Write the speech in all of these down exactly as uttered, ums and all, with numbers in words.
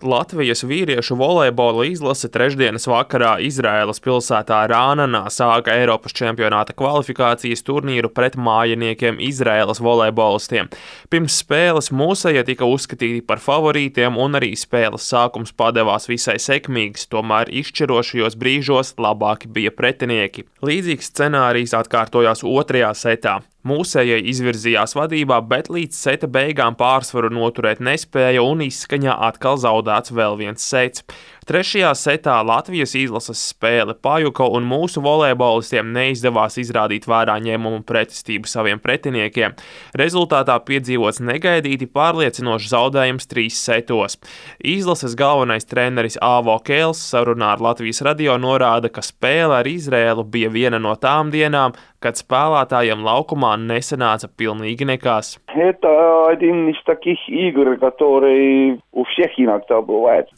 Latvijas vīriešu volejbola izlase trešdienas vakarā Izraēlas pilsētā Rānanā sāka Eiropas čempionāta kvalifikācijas turnīru pret mājiniekiem Izraēlas volejbolistiem. Pirms spēles mūsējie tika uzskatīti par favorītiem un arī spēles sākums padevās visai sekmīgs, tomēr izšķirošajos brīžos labāki bija pretinieki. Līdzīgs scenārijs atkārtojās otrajā setā. Mūsējie izvirzījās vadībā, bet līdz seta beigām pārsvaru noturēt nespēja un izskaņā atkal zaudēts vēl viens sets. Trešajā setā Latvijas izlases spēle pajuka un mūsu volejbolistiem neizdevās izrādīt vērā ņēmumu pretestību saviem pretiniekiem. Rezultātā piedzīvots negaidīti pārliecinošs zaudējums trīs setos. Izlases galvenais treneris Āvo Kēls sarunā ar Latvijas radio norāda, ka spēle ar Izraēlu bija viena no tām dienām, kad spēlētājiem laukumā nesanāca pilnīgi nekas.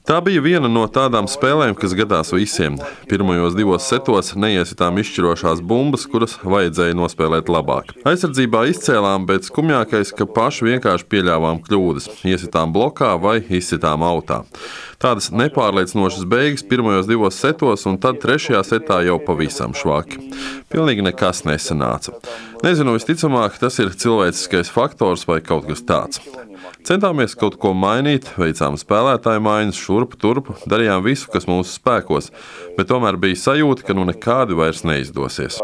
Tā bija viena no tādām spēlēm, kas gadās visiem. Pirmajos divos setos neiesitām izšķirošās bumbas, kuras vajadzēja nospēlēt labāk. Aizsardzībā izcēlām, bet skumjākais, ka paši vienkārši pieļāvām kļūdas. Iesitām blokā vai izsitām autā. Tādas nepārliecinošas beigas pirmajos divos setos, un tad trešajā setā jau pavisam švaki. Pilnīgi nekas nesanāca. Nezinu, visticamāk, tas ir cilvēciskais faktors vai kaut kas tāds. Centāmies kaut ko mainīt, veicām spēlētāju maiņas, šurpu turpu, darījām visu, kas mūsu spēkos, bet tomēr bija sajūta, ka nu nekādi vairs neizdosies.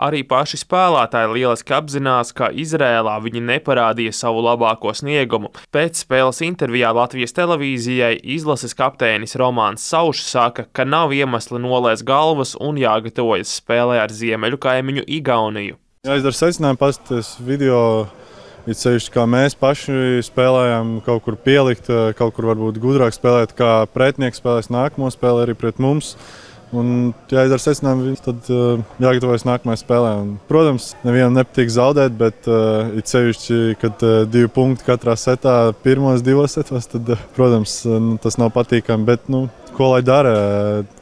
Arī paši spēlētāji lieliski apzinās, ka Izrēlā viņi neparādīja savu labāko sniegumu. Pēc spēles intervijā Latvijas televīzijai izlases kapteinis Romāns Saušs saka, ka nav iemesli nolēst galvas un jāgatavojas spēlē ar ziemeļu kaimiņu Igauniju. Jāizdara secinājumi, paskatīties video, it sevišķi kā mēs paši spēlējām, kaut kur pielikt, kaut kur varbūt gudrāk spēlēt, kā pretinieks spēlēs nākamo spēli arī pret mums. Un jāizdara secinājumi, tad uh, jāgatavojas nākamajai spēlē. Un, protams, nevienam nepatīk zaudēt, bet uh, it sevišķi, kad uh, divi punkti katrā setā, pirmos divos setos, tad, uh, protams, uh, tas nav patīkami. Bet, nu, ko lai dara,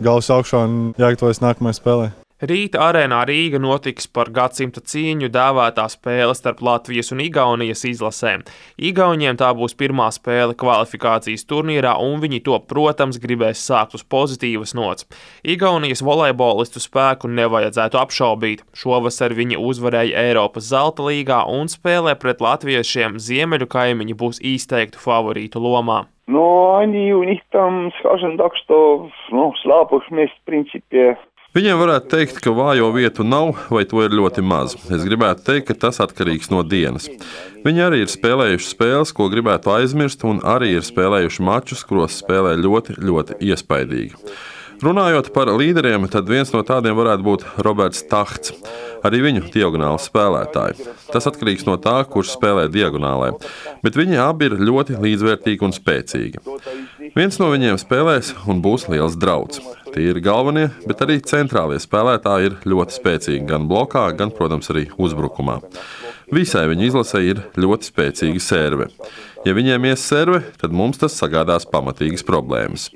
galvas augšā un jāgatavojas nākamajai spēlē. Rīta arēnā Rīga notiks par gadsimta cīņu dēvētā spēle starp Latvijas un Igaunijas izlasēm. Igauniem tā būs pirmā spēle kvalifikācijas turnīrā, un viņi to, protams, gribēs sākt uz pozitīvas nots. Igaunijas volejbolistu spēku nevajadzētu apšaubīt. Šovasar viņi uzvarēja Eiropas zelta līgā un spēlē pret latviešiem ziemeļu kaimiņi būs izteiktu favorītu lomā. No, они у них там, скажем так, что, ну, слабых мест, в принципе. Viņiem varētu teikt, ka vājo vietu nav, vai to ir ļoti maz. Es gribētu teikt, ka tas atkarīgs no dienas. Viņi arī ir spēlējuši spēles, ko gribētu aizmirst, un arī ir spēlējuši mačus, kuros spēlē ļoti, ļoti iespaidīgi. Runājot par līderiem, tad viens no tādiem varētu būt Roberts Tahts, arī viņu diagonāls spēlētāji. Tas atkarīgs no tā, kurš spēlē diagonālē, bet viņi abi ir ļoti līdzvērtīgi un spēcīgi. Viens no viņiem spēlēs un būs liels drauds. Tie ir galvenie, bet arī centrālie spēlētāji ir ļoti spēcīgi gan blokā, gan, protams, arī uzbrukumā. Visai viņa izlasē ir ļoti spēcīga serve. Ja viņiem ies serve, tad mums tas sagādās pamatīgas problēmas.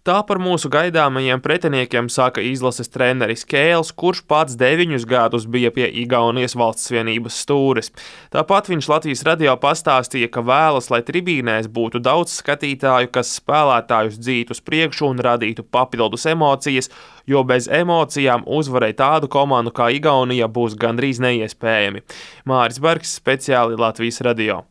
Tā par mūsu gaidāmajiem pretiniekiem saka izlases treneris Kēls, kurš pats deviņus gadus bija pie Igaunijas valsts vienības stūres. Tāpat viņš Latvijas radio pastāstīja, ka vēlas, lai tribīnēs būtu daudz skatītāju, kas spēlētājus dzītu uz priekšu un radītu papildus emocijas, jo bez emocijām uzvarēt tādu komandu kā Igaunija būs gandrīz neiespējami. Māris Bergs, speciāli Latvijas radio.